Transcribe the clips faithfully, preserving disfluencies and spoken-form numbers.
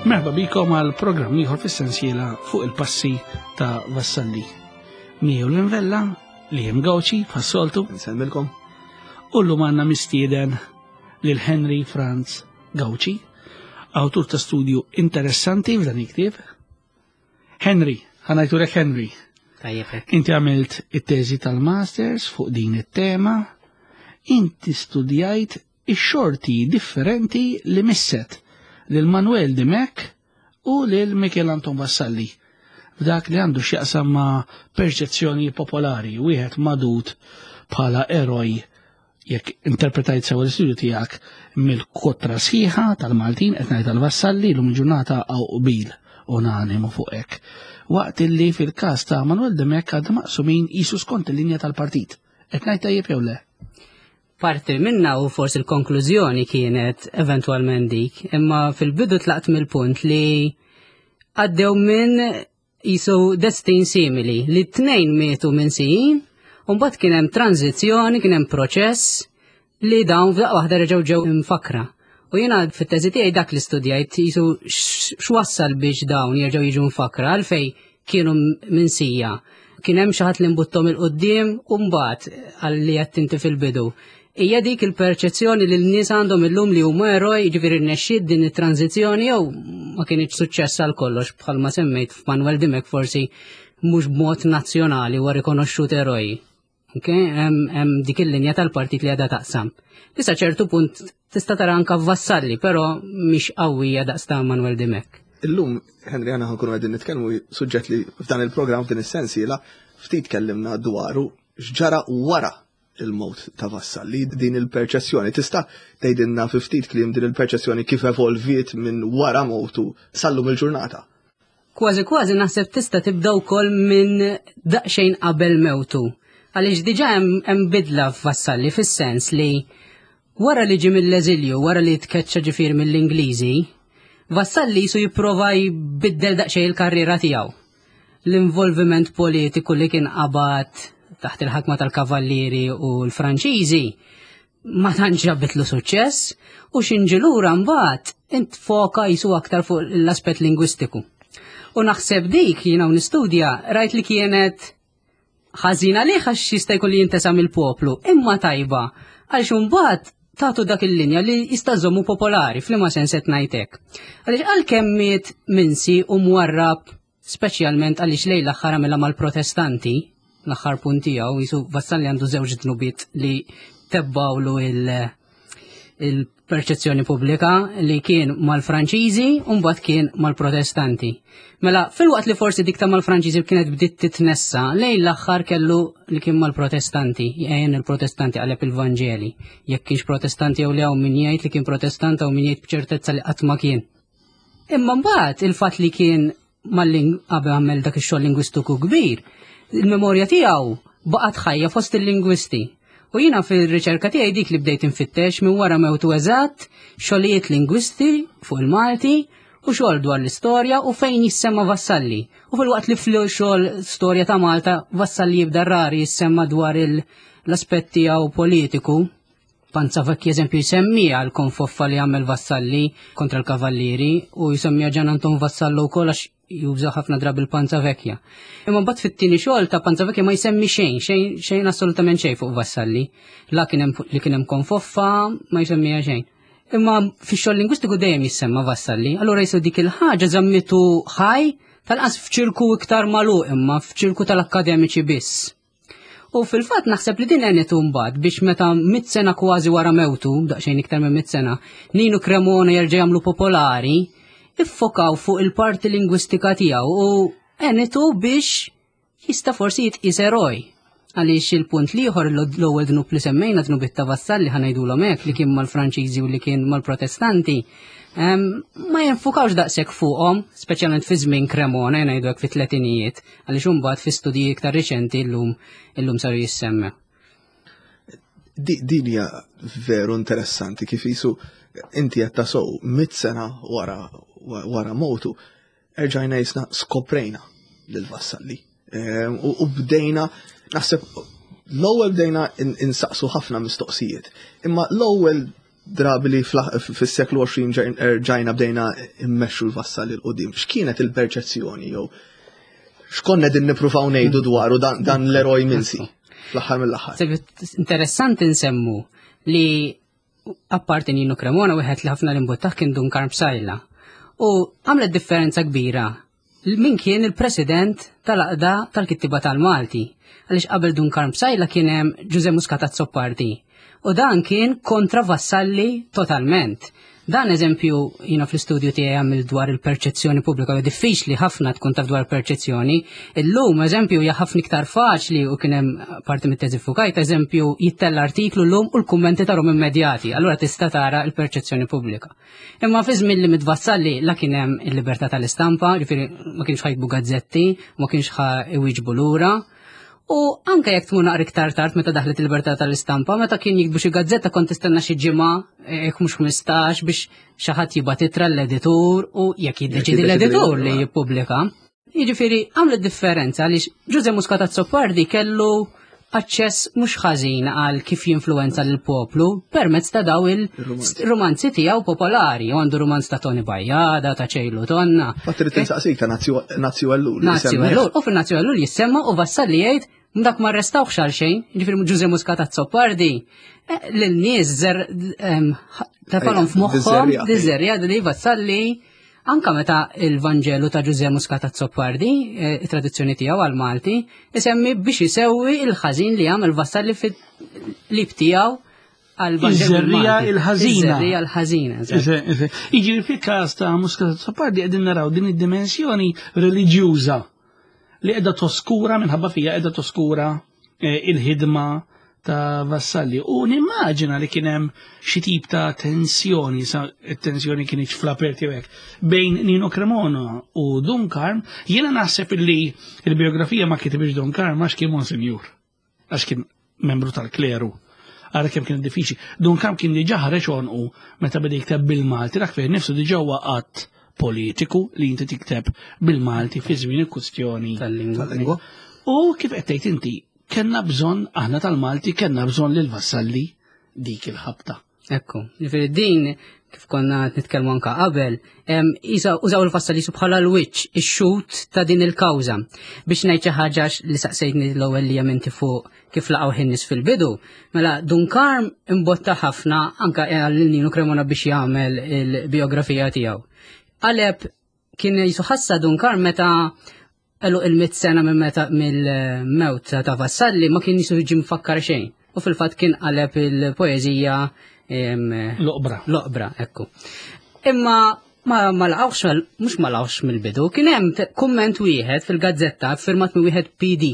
Merħba bikom għal programm ieħor fis-sensiela fuq il-passi ta' Vassalli. Miegħu l-invella li hemm Gawċi bħas-soltu. Nsellmilkom. U llum għandna mistieden lil Henry Franz Gawċi, awtur ta' studju interessanti f'dan il-ktieb. Henry, ħa ngħidulek Henry. Tajjeb hekk. Inti għamilt it-teżi tal-masters fuq din it-tema. Inti studjajt ix-xorti differenti li misset lil Manuel Dimech u lil Michel Anton Vassalli. F'dak li għandu x'jaqsam ma' perċezzjoni popolari, wieħed magħdud bħala eroj jekk interpretajt sewa l-istudju tiegħek mill-kotra sħiħa tal-Maltin qed ngħid tal-Vassalli llum il-ġurnata hawn qbil unanimu fuq hekk. Waqt illi fil-każ ta' Manuel Dimech għadna maqsumin jisu skont il-linja tal-partit. Qed ngħid tajjeb jew le? Parti minna u forsi l-konklużjoni kienet eventwalment dik, imma fil-bidu tlaqt mill-punt li għaddew minn jisu destin simili, li t-tnejn mietu minsijin, u mbagħad kien hemm tranzizzjoni, kien hemm proċess li dawn f'daqqa waħda reġgħu ġew imfakra. U jiena fit-teżi tiegħi dak li studjajt jisu x'wassal biex dawn jerġgħu jiġu mfakra għalfej kienu minsija. Kien hemm xi ħadd li mbuttom il-qudiem u mbagħad għalli qed inti fil-bidu. Hija dik il-perċezzjoni li l-nies għandhom illum li huma eroj, jiġifieri rnexxiet din it-tranzizzjoni jew ma kienx suċċess għal kollox bħalma semmejt f'Manuel Dimech forsi mhux b'mod nazzjonali huwa rikonoxxut eroj. Okay? Hemm dik il-linja tal-partit li għadha taqsam. Issa ċertu punt tista' tara anka Vassalli, però mhix qawwija daqs ta' Manuel Dimech. Illum, Henry, għana ħankunu għedin nitkellmu suġġett li f'dan il-programm f'din is-sensiela ftit kellimna dwaru x'ġara wara il-mewt ta' Vassalli, din il-perċezzjoni. Tista' tgħidilna fi ftit kliem din il-perċezzjoni kif evolviet minn wara mewtu sallum il-ġurnata? Kważi kważi naħseb tista' tibda wkoll minn daqsxejn qabel mewtu. Għaliex diġà hemm bidla f'Vassalli fis-sens li wara li ġie mill-eżilju, wara li tkeċċa ġifier mill-Ingliżi, Vassalli jisu jipprova jbiddel daqsxejn il-karriera tiegħu. L-involviment politiku li kien qabad taħt il-ħakma tal-Kavallieri u l-Franċiżi ma tantx ġabitlu suċċess u xinġilura mbagħad int foka jisu aktar fuq l-aspett lingwistiku. U naħseb dik jiena u nistudja rajt li kienet ħażina li għax jista' jkun li jintesa mill-poplu, imma tajba għaliex imbagħad tagħtu dak il-linja li jista' żommu popolari f'liema sens qed ngħidlek. Għaliex għalkemm miet minsi u mwarrab speċjalment għaliex lejn l-aħħar għamilha mal-Protestanti, l-aħħar punt tiegħu jisu Vassalli għandu żewġ dnubiet li tebbawlu il- il-perċezzjoni pubblika li kien mal-Franċiżi u mbagħad kien mal-Protestanti. Mela, fil-waqt li forsi dik ta' mal-Franċiżi kienet bdiet titnessa, lejn l-aħħar kellu li kien mal-Protestanti, jgħin il-Protestanti qaleb il-Vanġeli. Jekk kienx Protestanti jew le hawn min jgħid li kien Protestant u min jgħid b'ċertezza li qatt ma kien. Imma mbagħad il-fatt li kien mal-ling qabel għamel dak ix-xogħol lingwistiku kbir, il-memorja tiegħu baqgħet ħajja fost il-lingwisti. U jiena fil-riċerka tiegħi dik li bdejt infittex minn wara mewtu eżatt xogħlijiet lingwisti fuq il-Malti u xogħol dwar l-istorja u fejn jissemma Vassalli. U fil-waqt li fil-xogħol storja ta' Malta Vassalli jibda rari jissemma dwar l-aspett tiegħu politiku. Panzavecchi eżempju jsemmija l-konfoffa li għamel Vassalli kontra l-Kavallieri u jsemmija Ġan Anton Vassallo wkoll għax juża ħafna drabi l-Panzavecchia. Imma mbagħad fit-tieni xogħol ta' Panzavecchia ma jsemmi xejn, xejn, xejn assolutament xejn fuq Vassalli. La kien hemm li kien hemm konfoffa ma jsemmiha xejn. Imma fix-xogħol lingwistiku dejjem jissemma Vassalli, allura jisu dik il-ħaġa żammitu ħaj tal-qas f'ċirku iktar magħluq imma f'ċirku tal-akkademiċi biss. U fil-fatt naħseb li din għenet mbagħad biex meta mitt sena kważi wara mewtu, daqsxejn iktar minn mitt sena, Ninu Cremona jerġa' jagħmlu popolari, iffokaw fuq il-parti lingwistika tiegħu u għenetu biex jista' forsi jitqies eroj. Għaliex il-punt l-ieħor l-ewwel dnub li semmejna dnub ta' Vassalli ħa ngħidulhom hekk li kien mal-Franċiżi u li kien mal-Protestanti, em, ma jinfukawx daqshekk fuqhom, speċjalment fi żmien Cremona, ngħidu hekk fit-tletinijiet, għaliex imbagħad fi studji iktar riċenti llum illum saru jissemmew. Di-, din hija veru interessanti kif jisu inti qed tasow mitt sena wara, wara mowtu, erġajna jisna skoprejna lil Vassalli. Ehm, u, u bdejna, naħseb, l-ewwel bdejna in-, insaqsu ħafna mistoqsijiet. Imma l-ewwel drabi li fis-seklu għoxrin ġajna bdejna immexxu l-Vassalli 'l quddiem. X'kienet il-perċezzjoni jew x'konna din nippruvaw ngħidu dwaru dan, dan l-eroj minsi fl-aħħar mill-aħħar? Interessanti nsemmu li apparti Nino Cremona, wieħed li ħafna l-imbuttaħ kien Dun Karm Psaila. U għamlet differenza kbira min kien il-president tal-Għaqda tal-Kittiba tal-Malti. Għaliex qabel Dun Karm Psaila kien hemm Ġuże Muscat Azzopardi. U dan kien kontra Vassalli totalment. Dan eżempju, jina fl-istudju tiegħi għamil dwar il-perċezzjoni pubblika, u diffiċli ħafna tkun taf dwar perċezzjoni. Illum, eżempju, hija ħafna iktar faċli u kien hemm parti mit-teżi fukajt, eżempju, jittella artiklu llum u l-kummenti tarhom immedjati, allura tista' tara l-perċezzjoni pubblika. Imma fi żmien li miet Vassalli la kien hemm il-libertà tal-istampa, ġifieri ma kienx ħa jiktbu gazzetti, ma kienx ħa iwieġbu lura. U anke jekk tmur naqra iktar tard meta daħlet il-libertà tal-istampa, meta kien jiktbu xi gazzetta kont tistenna xi ġimgħa, jekk mhux ħmistax, biex xi ħadd jibgħat ittra l-editur u jekk jiddeċidi l-editur li jippubblika. Jiġifieri għamlet differenza għaliex Ġuże Muscat Azzopardi kellu aċċess mhux ħażin għal kif jinfluwenza lill-poplu permezz ta' daw il-romanzi tiegħu popolari. U għandu romanz ta' Toni Bajada, ta' Ċejlu Tonna. Fatt irid insaqsik ta' Nazju Ellul. Nazju Ellul, u fil-Nazju Ellul jissemma u Vassalli jgħid dak ma arrestawx għal xejn, ġifieri Ġuże Muscat Azzopardi lil-nies zer tefalhom f'moħħhom diżerja li Vassalli. Anka meta il-Vanġelu ta' Ġuże Muscat Azzopardi, it-traduzzjoni tiegħu għal Malti, isemmi biex isewwi il-ħażin li għamel Vassalli fil-lib tiegħu għal Vanġelu. Iż-żerrija il-ħażina. Iż-żerrija l-ħażina. Jiġifieri fil-każ ta' Muscat Azzopardi qegħdin naraw din id-dimensjoni reliġjuża li qiegħda toskura minħabba fija qiegħda toskura il-ħidma ta' Vassalli. U nimmaġina li kien hemm xi tip ta' tensjoni, sa tensjoni kienieċ fl-aperti hekk, bejn Nino Cremona u Dun Karm. Jiena naħseb li il-biografija ma kitibx Dun Karm għax kien monsinjur, għax kien membru tal-kleru. Ara kemm kien diffiċli. Dun Karm kien diġà ħareġ għonqu meta beda jikteb bil-Malti, dak fejn nifsu diġà huwa qatt politiku li inti tikteb bil-Malti fi żmien il-kwistjoni tal-lingwa. U kif qed tgħid inti, kellna bżonn aħna tal-Malti, kellna bżonn lil Vassalli dik il-ħabta. Ekku, ġifieri din kif konna nitkellmu anka qabel, użaw il-Vassalli bħala l-wiċċ, ix-xut ta' din il-kawża. Biex ngħid xi ħaġa li saqsejtni l-ewwel li jemminti fuq kif laqgħu in-nies fil-bidu, mela Dun Karm imbotta ħafna anka għal Nino Cremona biex jagħmel il-biografija tiegħu. Qaleb kien jisuħassa Dun Karm meta għelu il-mit sena minn meta mill-mewt ta' Vassalli ma kien jisu ġi mfakkar xejn. U fil-fatt kien qaleb il-poeżija L-oqbra. L-oqbra, ekku. Imma ma, ma laqgħux, mhux ma laqgħux mill-bidu, kien hemm kumment wieħed fil-gazzetta firmat minn wieħed P D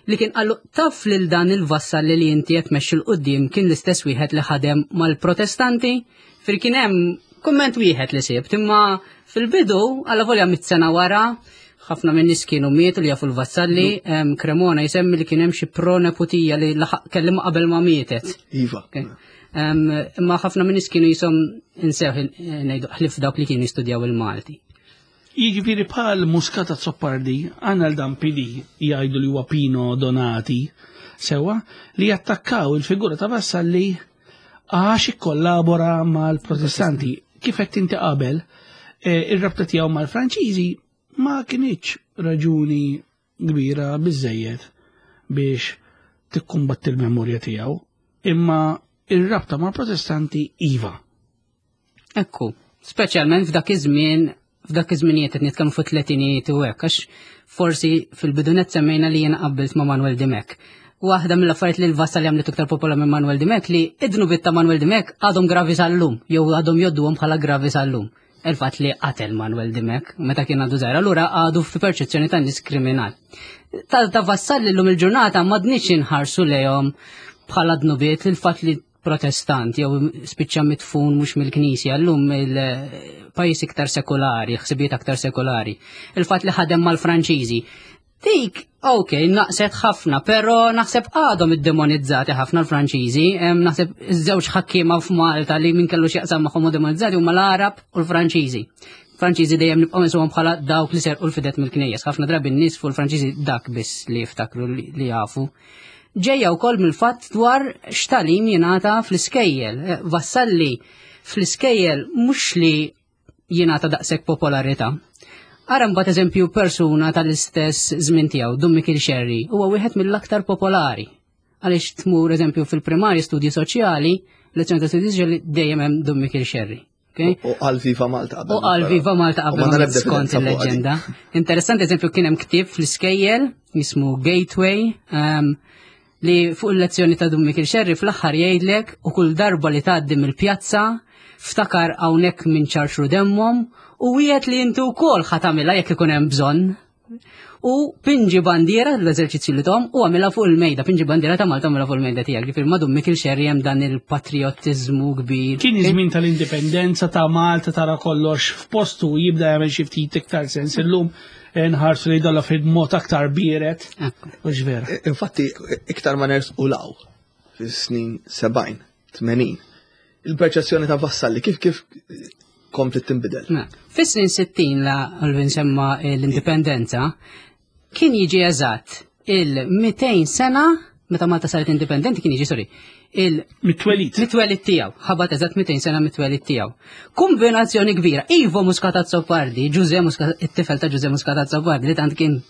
li kien qallu taf lil dan il-Vassalli li inti qed tmexxi 'l quddiem kien l-istess wieħed li ħadem mal-Protestanti. Fir kien hemm kumment wieħed li sibt, imma fil-bidu alla volja mit sena wara ħafna minn nies kienu mietu li jafu l-Vassalli, em, Cremona jsemmi li kien hemm xi proneputija li laħaq kellimha qabel ma mietet. Iva. Okay. Em, imma ħafna minn nies kienu jisom insew ngħidu ħlif dawk li kienu jistudjaw il-Malti. Jiġifieri bħal Muscat Azzopardi, għandna l dan P D jgħidu li huwa Pino Donati, sewa li jattakkaw il-figura ta' Vassalli għax ikkollabora mal-Protestanti. Kif qed inti qabel, eh, ir-rabta tiegħu mal-Franċiżi ma kienx raġuni kbira biżejjed biex tikkumbatti l-memorja tiegħu, imma ir-rabta mal-Protestanti iva. Ekku, speċjalment f'dak iż-żmien, f'dak iż-żminijiet qed nitkellmu fuq tletinijiet u hekk, għax forsi fil-bidunet semmejna li jiena qabbilt ma' Manuel Dimech. Waħda mill-affarijiet li l-Vassalli għamlet iktar popola minn Manuel Dimech li id-dnubiet ta' Manuel Dimech għadhom gravi sal-lum, jew għadhom jodduhom bħala gravi sal-lum. Il-fatt li qatel Manuel Dimech meta kien għadu żgħir, allura għadu fi perċezzjoni ta' nies kriminal. Ta', ta' Vassalli llum il-ġurnata m'għadniex inħarsu lejhom bħala dnubiet il-fatt li protestant jew spiċċa mitfun mhux mill-Knisja, llum il-pajjiż iktar sekulari, ħsibijiet aktar sekulari. Il-fatt li ħadem mal-Franċiżi. Dik, ok, naqset ħafna, però naħseb għadhom iddemonizzati ħafna l-Franċiżi. Em, naħseb iż-żewġ ħakkiema f'Malta li min kellu x'jaqsam magħhom u demonizzati huma l-Arab u l-Franċiżi. Franċiżi dejjem nibqgħu nisuhom bħala dawk li serqu l-fidet mill-knejjes. Ħafna drabi n-nies fuq il-Franċiżi dak biss li jiftakru li, li jafu. Ġejja wkoll mill-fatt dwar x'tagħlim jingħata fl-iskejjel. Eh, Vassalli fl-iskejjel mhux li jingħata daqshekk popolarità. Ara mbagħad eżempju persuna tal-istess żmien tiegħu, Dun Mikiel Xerri, huwa wieħed mill-aktar popolari. Għaliex tmur eżempju fil-primarji studji soċjali, lezzjoni ta' studji soċjali dejjem hemm Dun Mikiel Xerri. Okay? U għal Viva Malta qabel. U għal Viva Malta qabel skont il-leġenda. Interessanti eżempju kien hemm ktieb fl-iskejjel jismu Gateway um, li fuq il-lezzjoni ta' Dun Mikiel Xerri fl-aħħar jgħidlek u kull darba li tgħaddi mill-pjazza ftakar hawnhekk minn ċarxru demmhom u wieħed li inti wkoll ħa tagħmilha jekk ikun hemm bżonn. U pinġi bandiera l-eżerċizzju li tom u għamilha fuq il-mejda, pinġi bandiera ta' Malta għamilha fuq il-mejda tiegħek. Ġifieri ma' Dun Mikiel Xerri hemm dan il-patriottiżmu kbir. Kien iż-żmien tal-indipendenza ta' Malta tara kollox f'postu jibda jagħmel xi ftit iktar sens illum nħarsu li dolla fil-mod aktar bieret. U vera. Infatti, iktar ma nersqu law fis-snin sebgħin, tmenin, il-perċezzjoni ta' Vassalli kif kif komplet tinbidel? Fis-snin sittin la Alvin semma l-indipendenza, kien jiġi eżatt il-mitejn sena meta Malta saret indipendenti kien jiġi, sorry, il-mitwelid. Mitwelid tiegħu, ħabat eżatt mitejn sena mitwelid tiegħu. Kombinazzjoni kbira, Ivo Muscat Azzopardi, Ġuże Muscat, it-tifel ta' Ġuże Muscat Azzopardi li tant kien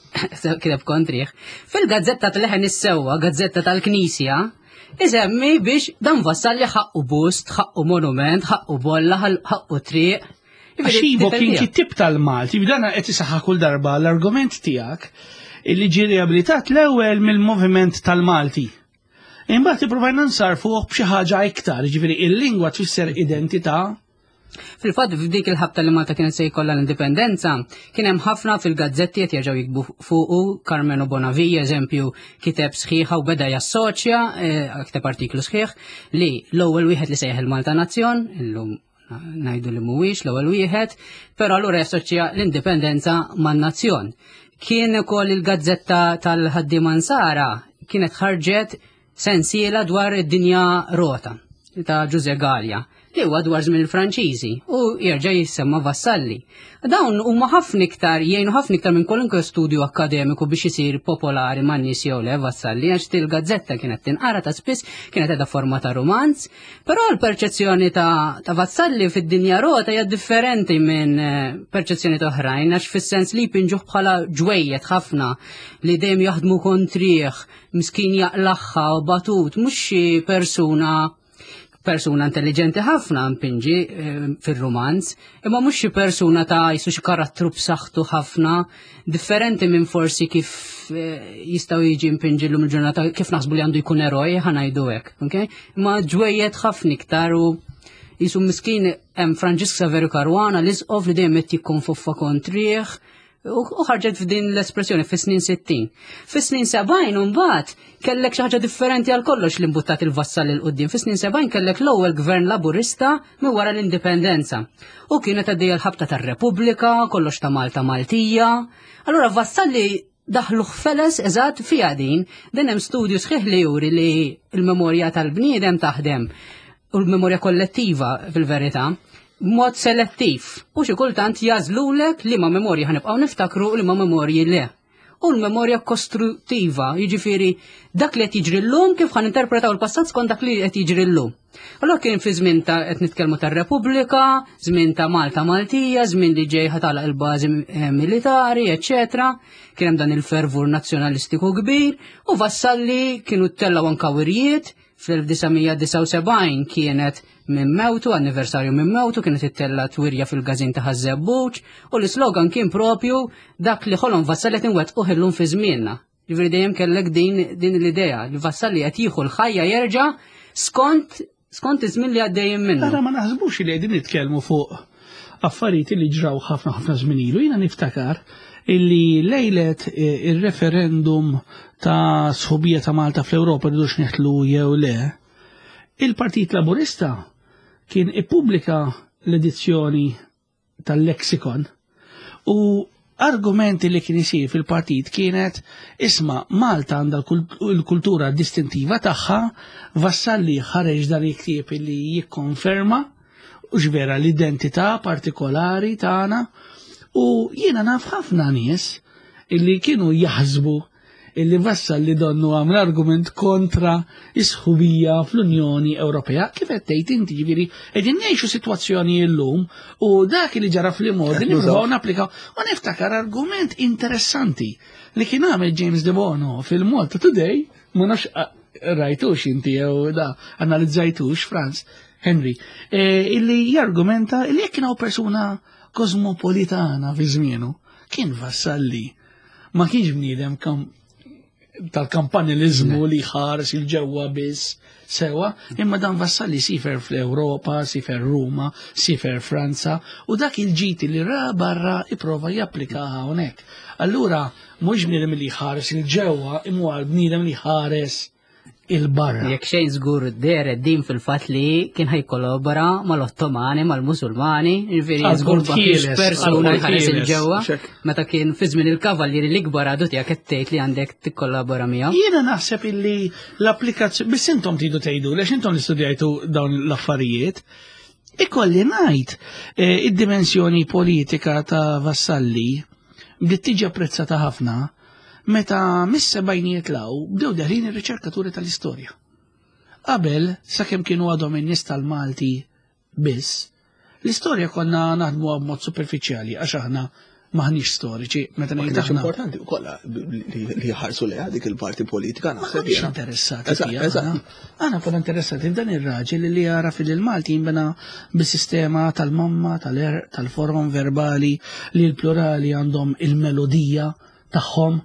kiteb kontrih, fil-gazzetta tal-Leħen is-Sewwa, gazzetta tal-Knisja, isemmi biex dan Vassalli ħaqqu bust, ħaqqu monument, ħaqqu bolla, ħaqqu triq. Għax Ivo kien kittib tal-Malti, b'dana qed isaħħa kull darba l-argument tiegħek illi ġie riabilitat l-ewwel mill-moviment tal-Malti. Imbagħad ippruvajna nsarfuh b'xi ħaġa iktar, jiġifieri il-lingwa tfisser identità. Fil-fatt f'dik il-ħabta li Malta kienet se jkollha l-indipendenza, kien hemm ħafna fil-gazzetti qed jerġgħu jikbu fuqu, Carmelo Bonavia eżempju kiteb sħiħa u beda jassoċja, kiteb artiklu sħiħ li l-ewwel wieħed li sejjaħ il-Malta Nazzjon, illum ngħidu li mhuwiex l-ewwel wieħed, però allura jassoċja l-indipendenza man-nazzjon. Kien ukoll il-gazzetta tal-Ħaddiema Nsara kienet ħarġet sensiela dwar id-dinja rota ta' Ġuże Gallia, li huwa dwar żmien il-Franċiżi u jerġa' jissemma Vassalli. Dawn huma ħafna iktar jgħinu ħafna iktar minn kwalunkwe studju akkademiku biex isir popolari man-nies jew le Vassalli, għax til-gazzetta kienet tinqara ta' spiss, kienet qiegħda forma ta' romanz, però l-perċezzjoni ta', ta' Vassalli fid-dinja rota hija differenti minn perċezzjoni ta' oħrajn, għax fis-sens li jpinġuh bħala ġwejjed ħafna li dejjem jaħdmu kontrih, miskin jaqlaħħa u batut, mhux xi persuna persuna intelligenti ħafna mpinġi fil-romanz, imma mhux xi persuna ta' jisu xi karattru b'saħħtu ħafna, differenti minn forsi kif jistgħu jiġi mpinġi llum il-ġurnata kif naħsbu li għandu jkun eroj, ħa ngħidu hekk, okay? Imma ġwejjed ħafna iktar u jisu miskin hemm Franġisk Saverio Caruana l-isqof li dejjem qed jikkonfoffa kontrih, u ħarġet f'din l-espressjoni fis-snin sittin. Fis-snin sebgħin imbagħad kellek xi ħaġa differenti għal kollox li mbuttat il-Vassalli l quddiem. Fis-snin sebgħin kellek l-ewwel gvern Laburista minn wara l-indipendenza. U kienet għaddejja l-ħabta tar-Repubblika, kollox ta' Malta Maltija. Allura Vassalli daħlu ħfeles eżatt fiha din, din hemm studju sħiħ li juri li l-memorja tal-bniedem taħdem u l-memorja kollettiva fil-verità mod selettiv u xi kultant jażlulek li ma memorja ħanibqgħu niftakru u li ma memorji le. U l-memorja kostruttiva, jiġifieri dak li qed jiġri llum kif ħan interpretaw il-passat skont dak li qed jiġri llum. Allura kien fi żmien ta' qed nitkellmu tar-Repubblika, żmien ta' Malta Maltija, żmien li ġej ħatalaq il-bażi militari, eċċetera. Kien hemm dan il-fervur nazzjonalistiku kbir u Vassalli kienu ttellgħu anke wirjiet fl-elf disa' mija disgħa u sebgħin kienet minn mewtu, anniversarju minn mewtu, kienet ittella twirja fil-gazin ta' Ħaż-Żebbuġ u l-islogan kien propju dak li ħolom Vassalli qed inwettquh illum fi żmienna. Ġifieri dejjem kellek din, din l-idea li Vassalli qed jieħu l-ħajja jerġa' skont, skont iż-żmien li għaddejjin minnu. Ara ma naħsbux li qegħdin nitkellmu fuq affarijiet li ġraw ħafna ħafna żmien ilu. Jiena niftakar illi lejlet il-referendum ta' sħubija ta' Malta fl-Ewropa rridux neħtlu jew le, il-Partit Laburista kien ippubblika l-edizzjoni tal-lexikon u argumenti li kien isir fil-partit kienet isma' Malta għandha l-kultura distintiva tagħha, Vassalli ħareġ dan il-ktieb li jikkonferma u x'vera l-identità partikolari tagħna. U jiena naf ħafna nies illi kienu jaħsbu illi Vassalli donnu għamel argument kontra is-sħubija fl-Unjoni Ewropea. Kif qed tgħid inti, ġifieri qegħdin ngħixu sitwazzjoni llum u dak li ġara fl-imgħoddi nippruvaw napplikaw. U niftakar argument interessanti li kien għamel James De Bono fil-Malta Today, ma nafx rajtux inti jew da analizzajtux, Franz Henry, illi jargumenta illi jekk kien persuna kosmopolitana fi żmienu, kien Vassalli. Ma kienx bniedem tal-kampanilizmu li ħares il-ġewwa biss sewa, imma dan Vassalli sifer fl-Ewropa, sifer Ruma, sifer Franza, u dak il-ġiti li ra barra iprova japplika hawnhekk. Allura mhux bniedem li ħares il-ġewwa, imma bniedem li ħares il-barra. Jekk xejn żgur dehret din fil-fatt li kien ħajkollabora mal-Ottomani, mal-Musulmani, ġifieri żgur ma kienx persuna jħares il-ġewwa. Meta kien fi żmien il-kavallieri l-ikbar għadu tiegħek qed tgħid li għandek tikkollabora miegħu. Jiena naħseb illi l-applikazzjoni, biss intom tridu tgħidu, għax intom li studjajtu dawn l-affarijiet, ikolli ngħid id-dimensjoni politika ta' Vassalli bdiet tiġi apprezzata ħafna meta mis-sebgħinijiet law bdew deħlin ir-riċerkaturi tal-istorja. Qabel, sakemm kienu għadhom in-nies tal-Malti biss, l-istorja konna naħdmuha b'mod superfiċjali għax aħna maħniex storiċi. Meta ngħid aħna importanti wkoll li jħarsu lejha dik il-parti politika naħseb. Maħniex interessati fiha. Aħna konna interessati f'dan ir-raġel li jara fil-Malti jinbena bis-sistema tal-mamma, tal-erq, tal-forom verbali li l-plurali għandhom il-melodija tagħhom,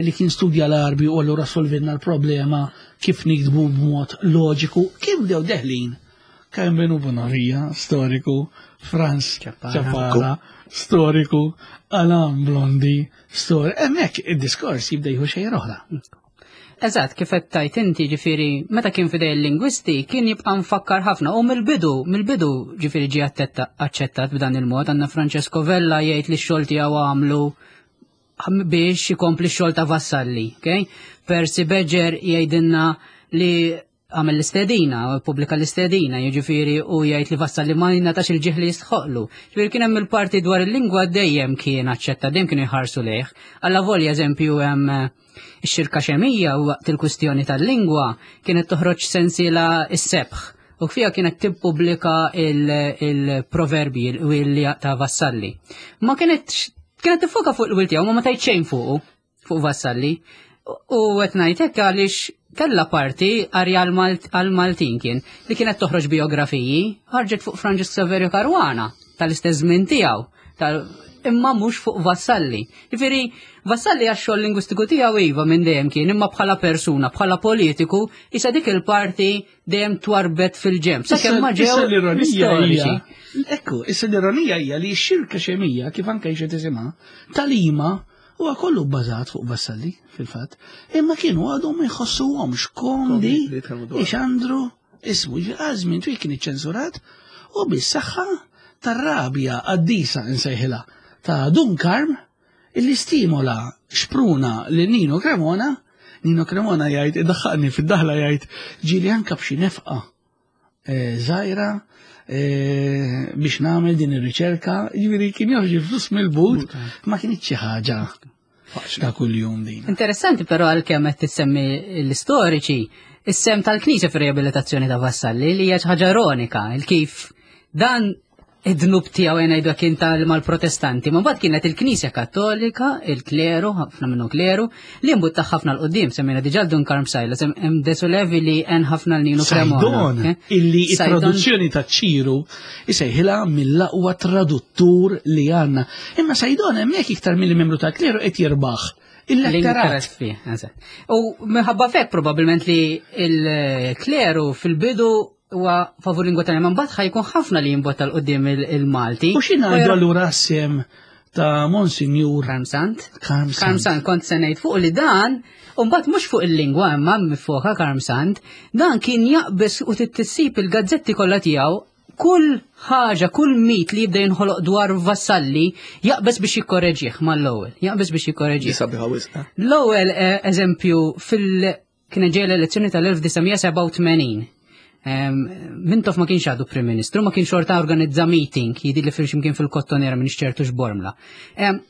li kien studja l-Arbi u allura solvinna l-problema kif nikdbu b'mod loġiku. Kif bdew deħlin? Kemm Benu Bonavia, storiku, Franz Ciappara, storiku, Alan Blondi, storiku. Hemmhekk id-diskors jibda jieħu xejn oħra. Eżatt, kif qed tajt inti, ġifieri meta kien fidej il-lingwisti kien jibqa' mfakkar ħafna u mill-bidu, mill-bidu ġifieri ġie aċċettat b'dan il-mod. Għandna Francesco Vella jgħid li x-xogħol tiegħu għamlu biex ikompli x-xogħol ta' Vassalli, okay? Percy Badger jgħidilna li għamel l-istedina, pubblika l-istedina, jiġifieri u jgħid li Vassalli ma jingħatax il-ġieħ li jistħoqlu. Ġifieri kien hemm il-parti dwar il-lingwa dejjem kien aċċetta, dejjem kienu jħarsu lejh. Alla volja eżempju hemm ix-xirka xemija u waqt il-kwistjoni tal-lingwa kienet toħroġ sensiela is-sebħ. U fija kienet tippubblika il-proverbi il ta' Vassalli. Ma kienet kienet tiffoka fuq il-wil tiegħu, ma ma tajt xejn fuqu, fuq Vassalli. U qed ngħid hekk għaliex kellha parti arja għal-Maltin kien li kienet toħroġ biografiji, ħarġet fuq Franġisk Saverio Caruana tal-istess żmien tiegħu, imma mhux fuq Vassalli. Jiġifieri Vassalli għax-xogħol lingwistiku tiegħu iva minn dejjem kien, imma bħala persuna, bħala politiku, issa dik il-parti dejjem twarbet fil-ġemp. Sakemm ma ġew l-ironija. Ekku, issa l-ironija hija li x-xirka xemija, kif anke xi tisimha, talima huwa kollu bbażat fuq Vassalli fil-fatt, imma kienu għadhom ma jħossuhomx komdi ixandru ismu. Għażmin twil kien iċċensurat u bis-saħħa tar-rabja qaddisa nsejħilha ta' Dun Karm illi stimola xpruna lil Nino Cremona. Nino Cremona jgħid, iddaħħaqni fid-daħla jgħid, ġieli anke b'xi nefqa żgħira biex nagħmel din ir-riċerka, jiġifieri kien joħroġ il-flus mill-but, ma kienx xi ħaġa ta' kuljum din. Interessanti però għalkemm qed tissemmi l-istoriċi, is-sem tal-Knisja fir-riabilitazzjoni ta' Vassalli li hija xi ħaġa ironika, il-kif dan id-dnub tiegħu ngħidu kien tal mal-Protestanti, ma mbagħad kienet il-Knisja Kattolika, il-kleru, ħafna minnu kleru, li mbutta ħafna l qudiem, semmejna diġà Dun Karm Sajla, hemm Desulevi li hemm ħafna l Nino Cremona. Sajdon, illi it-traduzzjoni ta' Ċiru isejħilha mill-aqwa traduttur li għandna. Imma Sajdon hemmhekk iktar milli membru tal-kleru qed jirbaħ il-letterat. U minħabba fek probabbilment li il-kleru fil-bidu huwa favur lingwa tagħna, mbagħad ħajkun ħafna li jimbotta l qudiem il-Malti. U xi ngħidu allura sem ta' Monsinjur Karmsant? Karmsant kont se ngħid fuq li dan, u mbagħad mhux fuq il-lingwa imma mifoka Karmsant, dan kien jaqbes u tissib il-gazzetti kollha tiegħu kull ħaġa, kull mit li jibda jinħoloq dwar Vassalli jaqbes biex jikkoreġih mal-ewwel, jaqbes biex jikkoreġih. L-ewwel eżempju fil kien ġej l-elezzjoni tal-elf disa' mija sebgħa u tmenin. Mintoff ma kienx għadu Prim Ministru, ma kienx xorta organizza meeting, jidi li fil ximkien fil-Kottonera minn ċertu x'Bormla.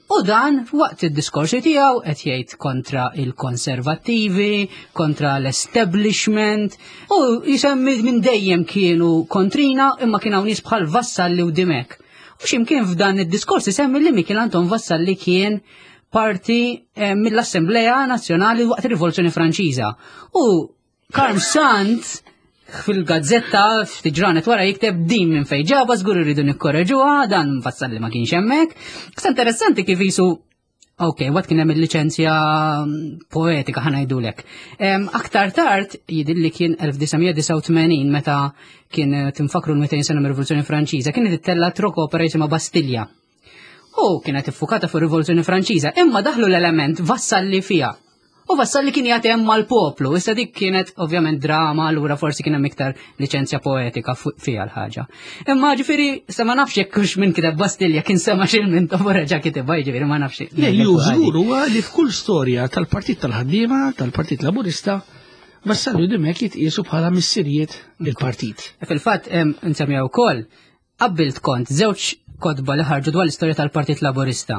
U dan waqt id-diskorsi tiegħu qed jgħid kontra il-konservattivi, kontra l-establishment, u jisemmi minn dejjem kienu kontrina imma kien hawn nies bħal Vassalli u Dimech. U ximkien f'dan id-diskors isemmi li Mikiel Anton Vassalli kien parti mill-Assembleja Nazzjonali waqt ir-Rivoluzzjoni Franċiża. U Karm Sant fil-gazzetta ftit ġranet wara jikteb din minn fejn ġaba żgur irridu nikkoreġuha, dan Vassalli ma kienx hemmhekk. Issa interessanti kif jisu Ok, wat kien hemm il-liċenzja poetika ħa ngħidulek. Aktar tard jidhirli kien elf disa' mija disgħa u tmenin meta kien tinfakru l-mitejn sena mir-Rivoluzzjoni Franċiża, kienet ittella rock opera jisimha Bastilja. U kienet iffukata fuq ir-Rivoluzzjoni Franċiża, imma daħlu l-element Vassalli fiha. U Vassalli kien jagħti hemm mal-poplu, issa dik kienet ovvjament drama, allura forsi kien hemm iktar liċenzja poetika fiha l-ħaġa. Imma ġifieri sa ma nafx jekk hux minn kiteb Bastilja kien sema' xi Mintoff u reġa' kitibha, jiġifieri ma nafx. Le, li hu żgur huwa li f'kull storja tal-Partit tal-Ħaddiema, tal-Partit Laburista, Vassalli u Dimech jitqiesu bħala missirijiet il-partit. Fil-fatt nsemmiha wkoll, qabbilt kont żewġ kotba li ħarġu dwar l-istorja tal-Partit Laburista.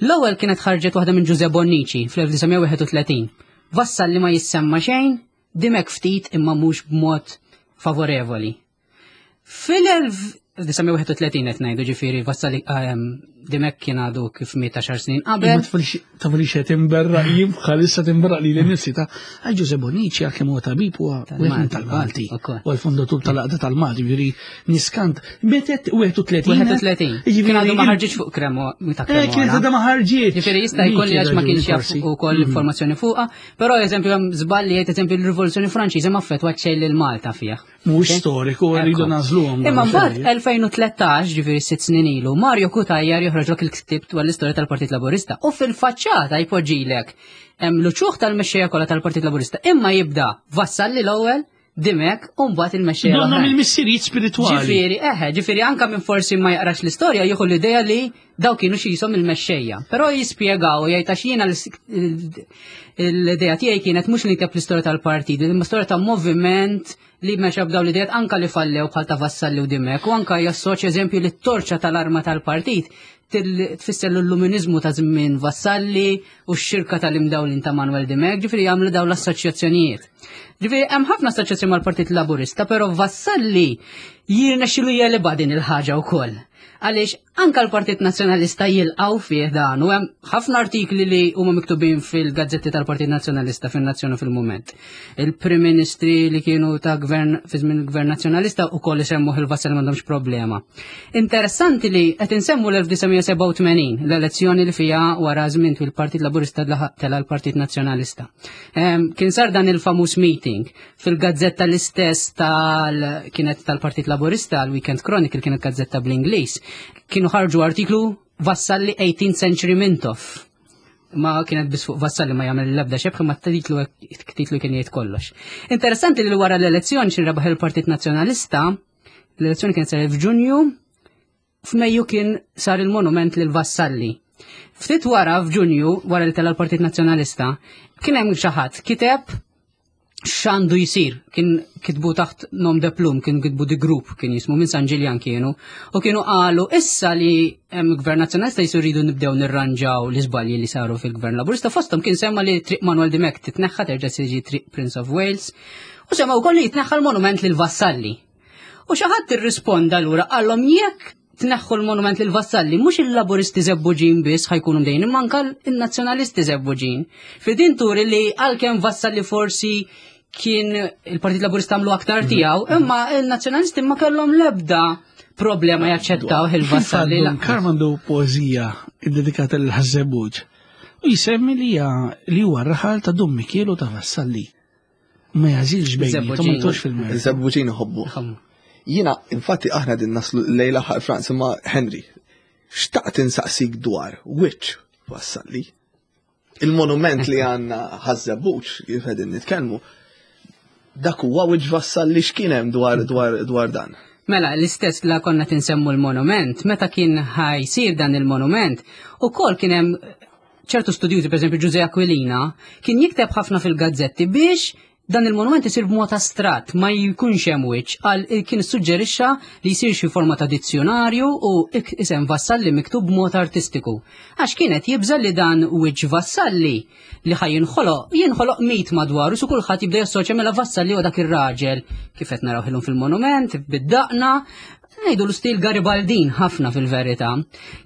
L-ewwel kienet ħarġet waħda minn Ġuże Bonnici fl-elf disa' mija wieħed u tletin. Vassalli ma jissemma xejn, Dimech ftit imma mhux b'mod favorevoli. Fil-elf disa' mija wieħed u tletin qed ngħidu ġifieri Vassalli, ehm, Dimech kien għadu kif miet għaxar snin qabel. Imma tfalix, tafalix qed imberraq jien bħalissa timberraq lili nnifsi ta' għal Ġuże Bonnici għal kemm huwa tabib huwa Tal-Malti, wieħed tal-Malti. ukoll. U l-fondatur tal-Għaqda tal-Malti, ġifieri niskant. Metet wieħed u tletin. Wieħed u tletin. Jiġifieri Kien għadu ma il- ħarġitx fuq Cremo, ta' Eh, kienet Cremona. għadha ma ħarġitx. Ġifieri jista' jkun li għax ma kienx jaf Forsi. ukoll Mhm. informazzjoni fuqha, però eżempju hemm żball li jgħid eżempju l-Rivoluzzjoni Franċiża ma affettwat xejn lil Malta fih. Mhux Ok? storiku, rridu Ekku. nagħżluhom Imma dawn mbagħad l-affarijiet. elfejn u tlettax, ġifieri sitt snin ilu, Mario Cutajar joħroġlok il-ktieb dwar l-istorja tal-Partit Laburista u fil-faċċata jpoġġilek hemm l-uċuħ tal-mexxejja kollha tal-Partit Laburista, imma jibda Vassalli l-ewwel, Dimech u mbagħad il-mexxejja Donna l-oħrajn. mill-missirijiet spiritwali. Ġifieri, eħe, ġifieri anka minn forsi ma jaqrax l-istorja jieħu l-idea li daw kienu xi jisom il-mexxejja. Però jispjegaw jgħid għax jiena l-, l-idea tiegħi kienet mhux li nikteb l-istorja tal-partit, imma storja ta' moviment li mexa b'daw l-idejat anka li fallew bħal ta' Vassalli u Dimech, u anka jassoċja eżempju li t-torċa tal-arma tal-partit til-, tfisser l-illuminizmu ta' żmien Vassalli u x-xirka tal-imdawlin ta' Manuel Dimech, ġifieri jagħmlu daw l-assoċjazzjonijiet. Ġifieri hemm ħafna assoċjazzjoni mal-Partit Laburista, però Vassalli jirnexxilu jeliba din il-ħaġa wkoll. Għaliex anka l-Partit Nazzjonalista jilqgħu fih dan, u hemm ħafna artikli li huma miktubin fil-gazzetti tal-Partit Nazzjonalista fin-Nazzjon u fil-Mument. Il-Prim Ministri li kienu ta' gvern fi żmien il-Gvern Nazzjonalista wkoll isemmuh il-Vassalli m'għandhomx problema. Interessanti li qed insemmu l-elf disa' mija sebgħa u tmenin, l-elezzjoni li fiha wara żmien twil il-Partit Laburista laħaq tela l-Partit Nazzjonalista. Ehm, kien sar dan il-famuż meeting fil-gazzetta l-istess tal kienet tal-Partit Laburista, l-Weekend Chronicle, kienet gazzetta bl-Ingliż. Kienu ħarġu artiklu Vassalli eighteenth Century Mintoff. Ma kienet biss fuq Vassalli ma jagħmel l-ebda xebħ, ma titlu, titlu kien jgħid kollox. Interessanti li wara l-elezzjoni xi rebaħ il-Partit Nazzjonalista, l-elezzjoni kienet saret f'Ġunju, f'Mejju kien sar il-monument lil Vassalli. Ftit wara f'Ġunju, wara li tela l-Partit Nazzjonalista, kien hemm xi ħadd kiteb x'għandu jsir, kien kitbu taħt nom de plum, kien kitbu The Group, kien jismu minn San Ġiljan kienu, u kienu qalu issa li hemm Gvern Nazzjonalista jisu rridu nibdew nirranġaw l-iżbalji li saru fil-Gvern Laburista, fosthom kien semma li Triq Manuel Dimech titneħħa terġa' tiġi Triq Prince of Wales, u semma wkoll li jitneħħa l-monument lil Vassalli. U xi ħadd irrisponda lura qallhom jekk tneħħu l-monument lil Vassalli, mhux il-Laburisti żebbuġin biss ħajkunu mdejn, imma anke n-Nazzjonalisti żebbuġin. Fi din turi li għalkemm Vassalli forsi kien il-Partit Laburista għamlu aktar tiegħu, imma il-Nazzjonalisti ma kellhom l-ebda problema jaċċettaw il-Vassalli. Fil-fatt, Karm għandu poeżija ddedikata lil Ħaż-Żebbuġ u jsemmi li hija li huwa r-raħal ta' Dun Mikiel u ta' Vassalli. Ma jażilx bejniethom, ma Żebbuġin. jtux fil-mertu. Żebbuġin iħobbu. Ħammu. Jiena, infatti, aħna din naslu lejla ħar Franz, imma Henry, xtaqt insaqsik dwar which Vassalli? Il-monument li għandna Ħaż-Żebbuġ, kif qegħdin nitkellmu, dak huwa which Vassalli, x'kien hemm dwar, dwar, dwar dan? Mela, l-istess la konna tinsemmu l-monument, meta kien ħajsir dan il-monument, u kol kien hemm ċertu studjużi, per eżempju Ġuże Aquilina, kien jikteb ħafna fil-gazzetti biex Dan il-monument isir b'mod astratt, ma jkunx hemm wiċċ, għal kien suġġerixxa li jsir xi forma ta' dizzjonarju u isem Vassalli miktub b'mod artistiku. Għax kienet jibża li dan wiċċ Vassalli li ħaj jinħoloq, jinħoloq mit madwaru, su kulħadd jibda jassoċja mela Vassalli u dak ir-raġel kif qed naraw illum fil-monument, bid-daqna, ngħidu l-istil Garibaldin ħafna fil-verità.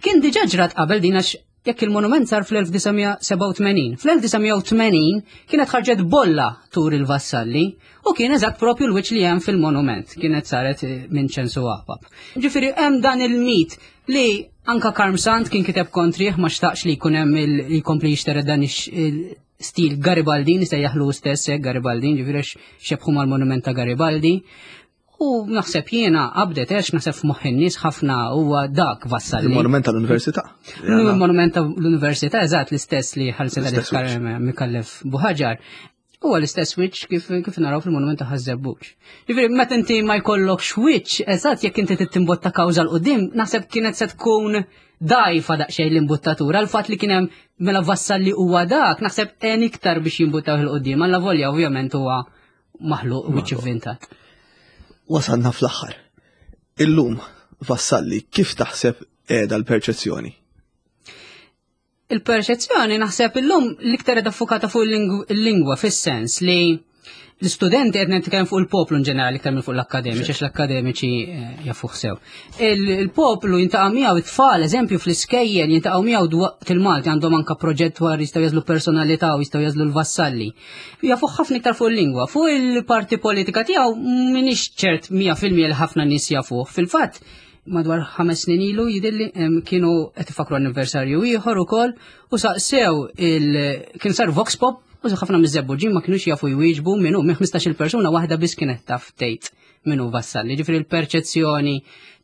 Kien diġà ġrat qabel din, għax jekk il-monument sar fl-elf disa' mija sebgħa u tmenin. Fl-elf disa' mija tmenin kienet ħarġet bolla tur il-Vassalli u kien eżatt propju l-wiċċ li hemm fil-monument. Kienet saret eh, minn Ċensu Apap. Ġifieri hemm dan il-mit li anka Karm Sant kien kiteb kontrih, ma xtaqx li jkun hemm il- jkompli jixteret dan ix- stil Garibaldin, sejjaħlu stess hekk Garibaldin, ġifieri xebħu mal-monument ta' Garibaldi. U naħseb jiena qabdet għax naħseb f'moħħ in-nies ħafna huwa dak Vassalli. Il-monument tal-Università. Il-monument tal-Università, eżatt, l-istess li ħalset L-istess għalih Micallef Buhagiar. Huwa l-istess wiċċ kif, kif naraw fil-monument ta' Ħaż-Żebbuġ. Ġifieri meta inti ma jkollokx wiċċ, eżatt, jekk inti tittimbotta kawża 'l quddiem, naħseb kienet se tkun dajfa daqsxejn l-imbuttatura. Il-fatt li kien hemm mela Vassalli huwa dak, naħseb għen iktar biex jimbuttaw 'il quddiem. Alla volja ovvjament huwa maħluq wiċċ ivvintat. Wasalna fl-aħħar. Illum, Vassalli, kif taħseb qiegħda l-perċezzjoni? Il-perċezzjoni naħseb illum l-iktar qiegħda ffukata fuq il-lingwa, fis-sens li l-istudenti, qed nitkellem fuq il-poplu in ġenerali iktar minn fuq l-akkademiċi, għax l-akkademiċi eh, jafuh sew. Il-poplu jiltaqgħu miegħu it-tfal, eżempju fl-iskejjel, jiltaqgħu miegħu waqt il-Malti, għandhom anka proġett dwar jistgħu jagħżlu personalità u jistgħu jagħżlu l-Vassalli. Jafuh ħafna iktar fuq il-lingwa. Fuq il-parti politika tiegħu m'iniex ċert mija fil-mija li ħafna nies jafuh. Fil-fatt, madwar ħames snin ilu jidilli kienu qed ifakru anniversarju ieħor ukoll u saqsew il kien sar vox pop u ħafna miż-Żebbuġin ma kienux jafu jwieġbu minnu. Minn ħmistax-il persuna, waħda biss kienet taf tgħid minnu Vassalli. Ġifieri l-perċezzjoni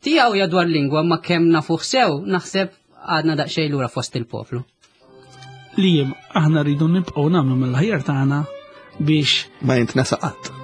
tiegħu hija dwar lingwa, ma kemm nafuh sew naħseb għadna daqsxejn lura fost il-poplu. Li aħna rridu nibqgħu nagħmlu mill-ħajja tagħna biex ma jintnesa qatt.